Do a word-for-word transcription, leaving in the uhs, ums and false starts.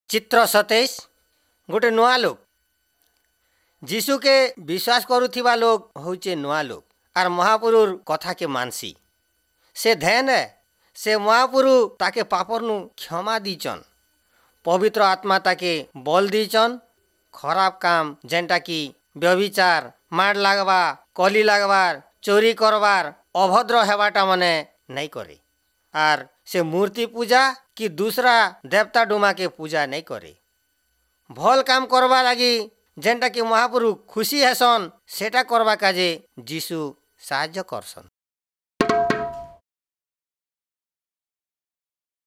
ଚିତ୍ର ସତେଇଶ ଗୋଟେ ନୂଆ ଲୋକ ଯୀଶୁକେ ବିଶ୍ୱାସ କରୁଥିବା ଲୋକ ହଉଛେ ନୂଆ ଲୋକ ଆର୍ ମହାପୁରୁର କଥାକେ ମାନସି ସେ ଧେନ୍ ଏ ସେ ମହାପୁରୁ ତାକେ ପାପରନୁ କ୍ଷମା ଦେଇଛନ୍ ପବିତ୍ର ଆତ୍ମା ତାକେ ବଲ ଦେଇଛନ୍ ଖରାପ କାମ ଯେନ୍ଟା କି ବ୍ୟଭିଚାର ମାଡ଼ ଲାଗବା କଲି ଲାଗବାର ଚୋରି କରବାର ଅଭଦ୍ର ହେବାଟା ମାନେ ନାଇଁ କରେ ଆର୍ ସେ ମୂର୍ତ୍ତି ପୂଜା କି ଦୁସରା ଦେବତା ଡୁମାକେ ପୂଜା ନାଇଁ କରେ ଭଲ୍ କାମ କରବା ଲାଗି ଯେନ୍ଟା କି ମହାପୁରୁ ଖୁସି ହେସନ୍ ସେଟା କରବା କାଜେ ଯୀଶୁ ସାହାଯ୍ୟ କରସନ୍।